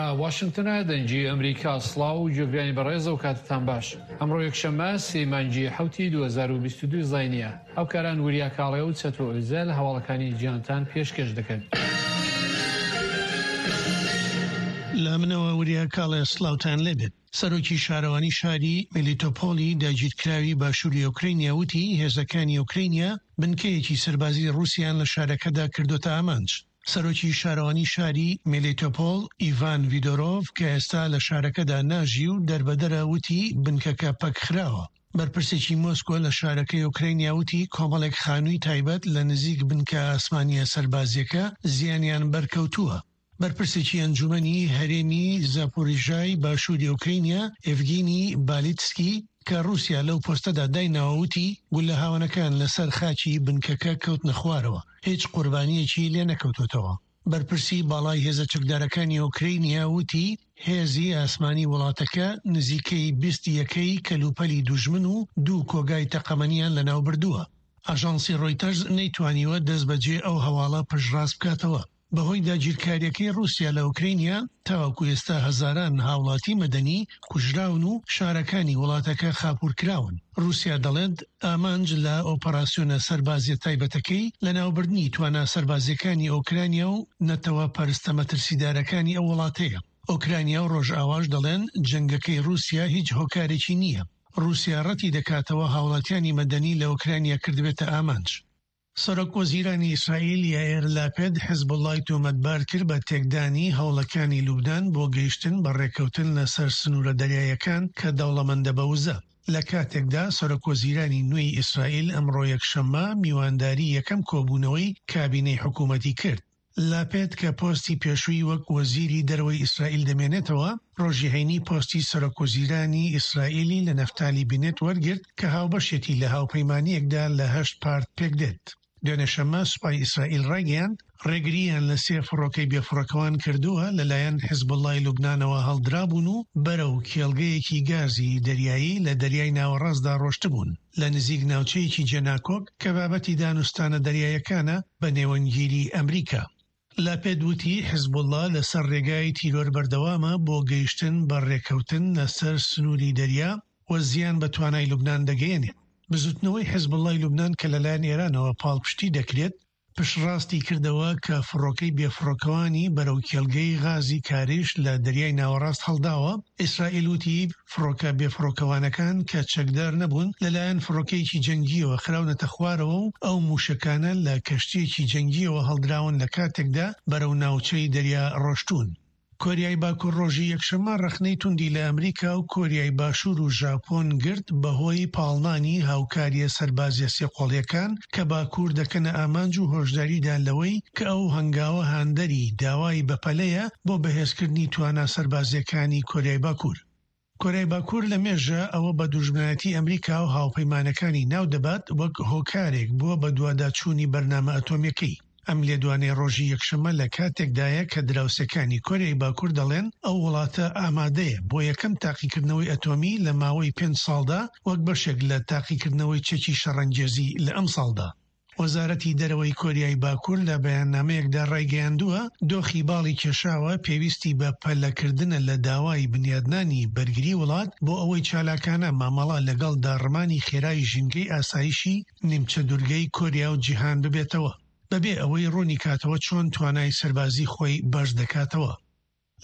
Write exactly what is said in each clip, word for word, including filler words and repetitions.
لە واشنگتنە دەنگی ئەمریکا. سڵاو و گوێگرانی بەڕێز و کاتتان باش. ئەمڕۆ یەکشەممە سێ مانگی حەوتی دوو هەزار و بیست و دوو زاینیە. هاوکاران وریا کاڵێ و چەتۆ ئۆزەل هەواڵەکانی جیهانتان پێشکەش دەکەن. لە منەوە وریا کاڵێ سڵاوتان لێبێت. سەرۆکی شارەوانی شاری میلیتۆپۆلی داگیرکراوی باشووری ئۆکرینیا وتی هێزەکانی ئۆکرینیا بنکەیەکی سەربازی ڕووسیان لە شارەکەدا کردوتە ئامانج. سەرۆکی شارەوانی شاری میلیتۆپۆل ئیڤان ڤیدۆرۆڤ کە ئێستا لە شارەکەدا ناژی و دەربەدەرە وتی بنکەکە پەکخراوە. بەرپرسێکی مۆسکۆ لە شارەکەی ئۆکرینیا وتی کۆمەڵێک خانووی تایبەت لە نزیک بنکە ئاسمانیە سەربازیەکە زیانیان بەرکەوتووە. بەرپرسێکی ئەنجومەنی هەرێمی زاپۆریژای باشووری ئۆکرینیا ئێڤگینی بالیتسکی کە ڕووسیا لەو پۆستەدا دایناوەوتی گولە هاوانەکان لەسەر خاکی بنکەکە کەوتنە خوارەوە، هیچ قوربانیەکی لێ نەکەوتوتەوە. بەرپرسی باڵای هێزە چەکدارەکانی ئۆکرینیا وتی هێزی ئاسمانی وڵاتەکە نزیکەی بیست یەکەی کەلوپەلی دوژمن و دوو کۆگای تەقەمەنیان لەناو بردووە. ئاژانسی ڕۆیتەرز نەیتوانیوە دەست بەجێ ئەو هەواڵە پشتڕاست بکاتەوە. بەهۆی داگیرکاریەکەی ڕووسیا لە ئۆکرینیا تاوەکو ئێستا هەزاران هاوڵاتی مەدەنی کوژراون و شارەکانی وڵاتەکە خاپورکراون. ڕووسیا دەڵێت ئامانج لە ئۆپەراسیۆنە سەربازیە تایبەتەکەی لەناوبردنی توانا سەربازیەکانی ئۆکرانیا و نەتەوە پەرستە مەترسیدارەکانی ئەو وڵاتەیە. ئۆکرانیا و ڕۆژئاواش دەڵێن جەنگەکەی ڕووسیا هیچ هۆکارێکی نییە. ڕووسیا ڕەتی دەکاتەوە هاوڵاتیانی مەدەنی لە ئۆکرانیا کردبێتە ئامانج. سەرۆک وەزیرانی ئیسرائیل یائیر لاپێد حزبوڵای تۆمەتبار کرد بە تێکدانی هەوڵەکانی لوبنان بۆ گەیشتن بە ڕێککەوتن لەسەر سنوورە دەریایەکان کە دەوڵەمەندە بە وزە. لە کاتێکدا سەرۆک وەزیرانی نوێی ئیسرائیل ئەمڕۆ یەکشەممە میوانداری یەکەم کۆبوونەوەی کابینەی حکوومەتی کرد. لاپێد کە پۆستی پێشووی وەک وەزیری دەرەوەی ئیسرائیل دەمێنێتەوە، ڕۆژی هەینی پۆستی سەرۆک وەزیرانی ئیسرائیلی لە نەفتالی بینێت وەرگرت کە هاوبەشێتی لە هاوپەیمانیەکدا لە هەشت پارت پێک دێت. دوێنێ شەممە سوپای ئیسرائیل ڕایگەیاند ڕێگرییان لە سێ فڕۆکەی بێفڕۆکەوان کردووە لەلایەن حیزبوڵڵای لوبنانەوە هەڵدرابوون و بەرەو کێڵگەیەکی گازی دەریایی لە دەریای ناوەڕاستدا ڕۆشتبوون لە نزیک ناوچەیەکی جێناکۆک کە بابەتی دانوستانە دەریایەکانە بە نێوەندگیری ئەمریکا. لاپێد وتی حیزبوڵڵا لەسەر ڕێگای تیرۆر بەردەوامە بۆ گەیشتن بە ڕێککەوتن لەسەر سنووری دەریا و زیان بە توانای لوبنان دەگەیەنێت. بزوتنەوەی حیزبوڵڵای لوبنان کە لەلایەن ئێرانەوە پاڵپشتی دەکرێت پشتڕاستی کردەوە کە فڕۆکەی بێفڕۆکەوانی بەرەو کێڵگەی غازی کاریش لە دەریای ناوەڕاست هەڵداوە. ئیسرائیل وتی فڕۆکە بێفڕۆکەوانەکان کە چەکدار نەبوون لەلایەن فڕۆکەیەکی جەنگیەوە خراونەتە خوارەوە و ئەو موشەکانە لە کەشتیەکی جەنگیەوە هەڵدراون لە کاتێکدا بەرەو ناوچەی دەریا ڕۆشتوون. کۆریای باکوور ڕۆژی یەکشەممە ڕەخنەی توندی لە ئەمریکا و کۆریای باشوور و ژاپۆن گرت بەهۆی پاڵنانی هاوکاریە سەربازیە سێقۆڵیەکان کە باکوور دەکەنە ئامانج و هۆشداریدا لەوەی کە ئەو هەنگاوە هاندەری داوای بەپەلەیە بۆ بەهێزکردنی توانا سەربازیەکانی کۆریای باکوور. کۆریای باکوور لە مێژە ئەوە بە دوژمنایەتی ئەمریکا و هاوپەیمانەکانی ناو دەبات وەک هۆکارێک بووە بە دوواداچوونی بەرنامە ئەتۆمیەکەی. ئەم لێدوانەی ڕۆژی یەکشەممە لە کاتێکدایە کە دراوسێکانی کۆریای باکوور دەڵێن ئەو وڵاتە ئامادەیە بۆ یەکەم تاقیکردنەوەی ئەتۆمی لە ماوەی پێنج ساڵدا وەک بەشێک لە تاقیکردنەوەی چەکی شەڕەنگێزی لە ئەم ساڵدا. وەزارەتی دەرەوەی کۆریای باکوور لە بەیاننامەیەکدا ڕایگەیاندووە دۆخی باڵی کێشاوە پێویستی بە پەلەکردنە لە داوای بنیادنانی بەرگری وڵات بۆ ئەوەی چالاکانە مامەڵە لەگەڵ داڕمانی خێرای ژینگەی ئاسایشی نیمچە دوورگەی کۆریا و جیهان ببێتەوە، بەبێ ئەوەی ڕوونی کاتەوە چۆن توانای سەربازی خۆی بەرز دەکاتەوە.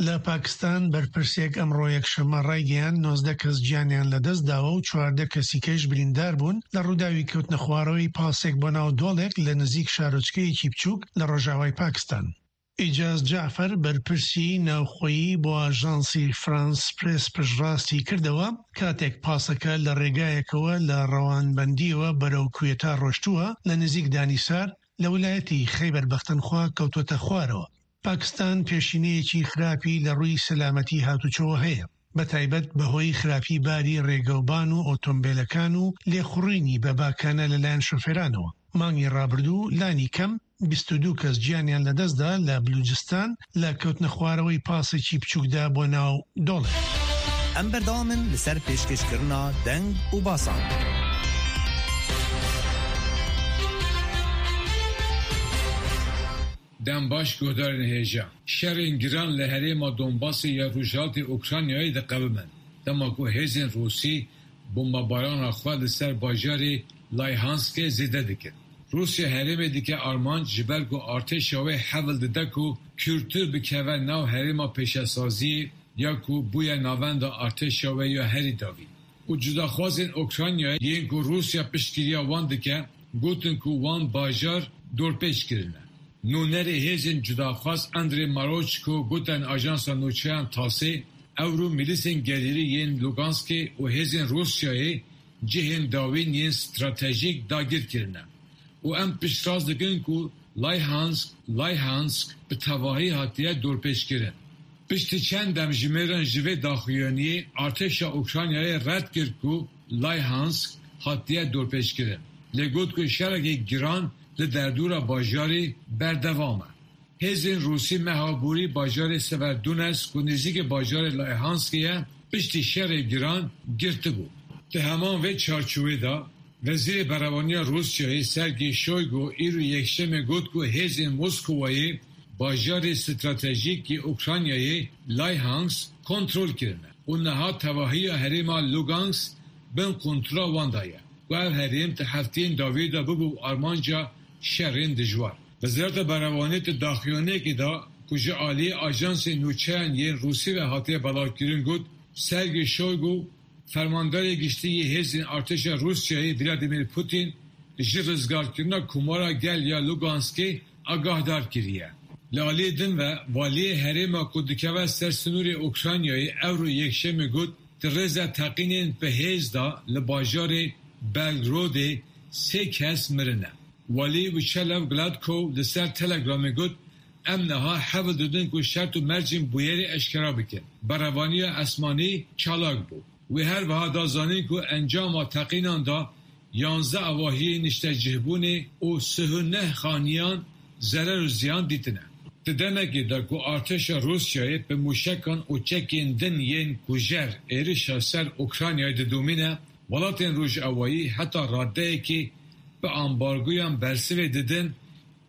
لە پاکستان بەرپرسێک ئەمڕۆ یەکشەممە ڕایگەیاند نۆزدە کەس گیانیان لەدەست داوە و چواردە کەسی کەش بریندار بوون لە ڕووداوی کەوتنە خوارەوەی پاسێک بۆ ناو دۆڵێک لە نزیک شارۆچکەیەکی بچووک لە ڕۆژاوای پاکستان. ئیجاز جەعفەر بەرپرسی ناوخۆیی بۆ ئاژانسی فرانس پرێس پشتڕاستی کردەوە کاتێک پاسەکە لە ڕێگایەکەوە لە ڕەوانبەندیەوە بەرەو کوێتا ڕۆشتووە لە نزیک دانیسار لە ویلایەتی خەیبەر بەختەنخوا کەوتوەتە خوارەوە. پاکستان پێشینەیەکی خراپی لە ڕووی سەلامەتی هاتوچۆوە هەیە، بەتایبەت بەهۆی خراپی باری ڕێگەوبان و ئۆتۆمبیلەکان و لێخوڕینی بە باکانە لەلایەن شۆفێرانەوە. مانگی ڕابردوو لانی کەم بیست و دوو کەس گیانیان لەدەستدا لە بلوجستان لە کەوتنە خوارەوەی پاسێکی بچووکدا بۆ ناو دۆڵێک. ئەم بەردەوامن لەسەر پێشکەشکردنا دەنگ و باسان. Dem baş guhdarên hêja. Şerên giran li herêma Donbasê ya Rojhilatê Ukraynayê diqewimin. Dema ku hêzên Rûsî bombebarana xwe li ser bajarê Layhanskê zêde dikin. Rûsya herêmê dike armanc ji ber ku artêşa wê hewl dide ku kûrtir bikeve nav herêma pêşesaziyê ya ku bûye navenda artêşa wê ya herî dawî. Û cudaxwazên Ukraynayê yên ku Rûsya piştgiriya wan dike, gotin ku wan bajar dorpêç kirine. Nûnerê hêzên cudaxwaz Andrei Marochko gotin ajansa nûçeyan TASê ewro milîsên gelêrî yên Luganskê û hêzên Rûsyayê cihên dawîn yên stratejîk dagir kirine. Û em piştrast dikin ku Layhansk, Layhansk bi tevahî hatiye dorpêçkirin. Piştî çend demjimêran ji vê daxuyaniyê artêşa Ukraynayê red kir ku Layhansk hatiye dorpêçkirin. Lê got ku şerekî giran li derdora bajarê berdewam e. Hêzên Rûsî meha borî bajarê Severodonetsk ku nêzîkî bajarê Layhanskê ye piştî şerê giran girtibû. Di heman vê çarçovê de Wezîrê Berevaniya Rûsyayê Sergey Shoigu îro Yekşemê got ku hêzên Moskowayê bajarê stratejîk yê Ukraynayê Layhansk kontrol kirine û niha tevahiya herêma Lugansk bin kontrola wan de ye. Ku ev herêm di hefteyên dawî de bibû armanca şerên dijwar. Wezareta Berevaniyê di daxuyaniyekê de ku ji aliyê ajansên nûçeyan yên Rûsî ve hatiye belavkirin got Sergey Shoigu Fermandarê Giştî yê Hêzên Artêşa Rûsyayê Vladimir Putin ji rizgarkirina Komara Gel ya Luganskê agahdar kiriye. Li aliyê din ve waliyê herêma ku dikeve ser sînorê Ukraynayê ewro Yekşemê got di rêza teqînên bi hêz de li bajarê Belgorodê sê kes mirine. Walî Vyacheslav Gladkov li ser Telegramê got em niha hewl didin ku şert û mercên bûyerê eşkere bikin. Berevaniya esmanî çalak bû. Wê her wiha da zanîn ku encama teqînan da yanzdeh avahiyên niştecihbûnê û sih û neh xaniyan zerer û ziyan dîtine. Di demekê de ku artêşa Rûsyayê bi mûşekan û çekên din yên kujer êrişa ser Ukraynayê didomîne, welatên Rojavayî heta radeyekê bi ambargoyan bersivê didin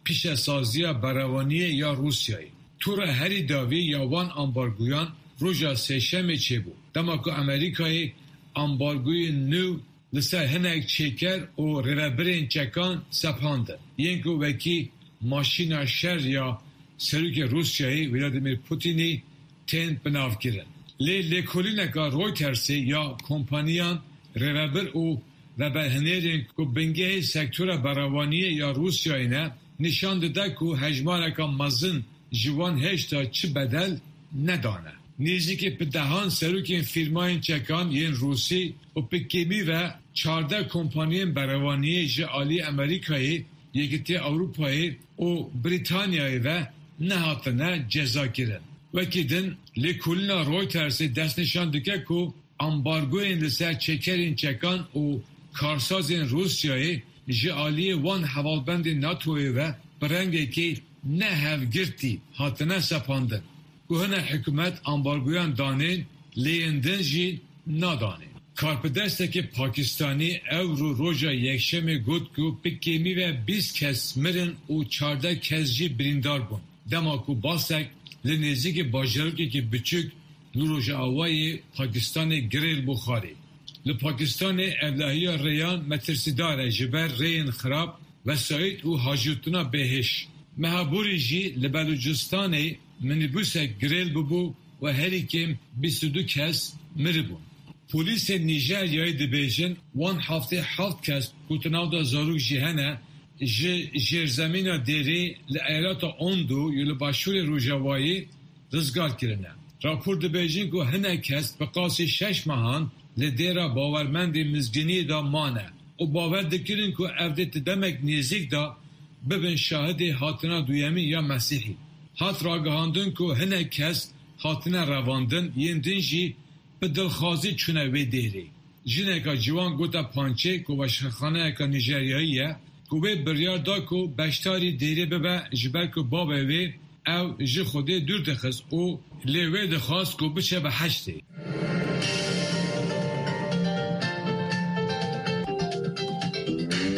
pîşesaziya berevaniyê ya Rûsyayê. Tora herî dawî ya wan ambargoyan roja sêşemê çêbû. Dema ku Amerîkayê ambargoyên nû li ser hinek çêker û rêvebirên çekan sepandin. Yên ku wekî maşîna şer ya Serokê Rûsyayê Vladimir Putinî tên binavkirin. Lê lêkolîneka Reutersê ya kompaniyan rêvebir û veberhinêrên ku bingehê sektora berevaniyê ya Rûsyayê ne nîşan dide ku hejmareka mezin ji wan hêjta çi bedel nedane. Nêzîkî bi dehan serokên fîrmayên çekan yên Rûsî û bi kêmî ve çardeh kompaniyên berevaniyê ji aliyê Amerîkayê, Yekîtiya Ewropayê û Brîtanyayê ve nehatine cezakirin. Wekî din lêkolîna Reutersê destnîşan dike ku ambargoyên li ser çêkerên çekan û karsazên Rûsyayê ji aliyê wan hevalbendên NATOyê ve bi rengekî nehevgirtî hatine sepandin. Ku hinek hikûmet ambargoyan danên lê yên din jî nadanên. Karpidestekî Pakistanî ewro roja Yekşemê got ku bi kêmî ve bîst kes mirin û çardeh kes jî birîndar bûn. Dema ku basek li nêzîkî bajarokekî biçûk li Rojavayê Pakistanê girêl bû xwarê. Li Pakistanê ewlehiya rêyan metirsîdar e ji ber rêyên xirab, wesayît û hajotina bêhiş. Meha borî jî li Belûcistanê minîbusek girêl bûbû û herî kêm bîst û du kes miribûn. Polîsên Nîjeryayê dibêjin wan heftê heft kes ku di nav de zarok jî hene ji jêrzemîna dêrê li eyaleta Ondo ya li başûrê Rojavayê rizgar kirine. Rapor dibêjin ku hinek kes bi qasî şeş mehan li dêra bawermendê mizgîniyê de mane û bawer dikirin ku ev dê di demek nêzîk de bibin şahidê hatina duyemîn ya Mesîhî. Hat ragihandin ku hinek kes hatine revandin yên din jî bi dilxwazî çûne wê dêrê. Jineka ciwan gote Punchê ku weşanxaneyeke Nîjeryayî ye ku wê biryar da ku beşdarî dêrê bibe ji ber ku bavê wê ew ji Xwedê dûr dixist û lê wê dixwast ku biçe biheştê.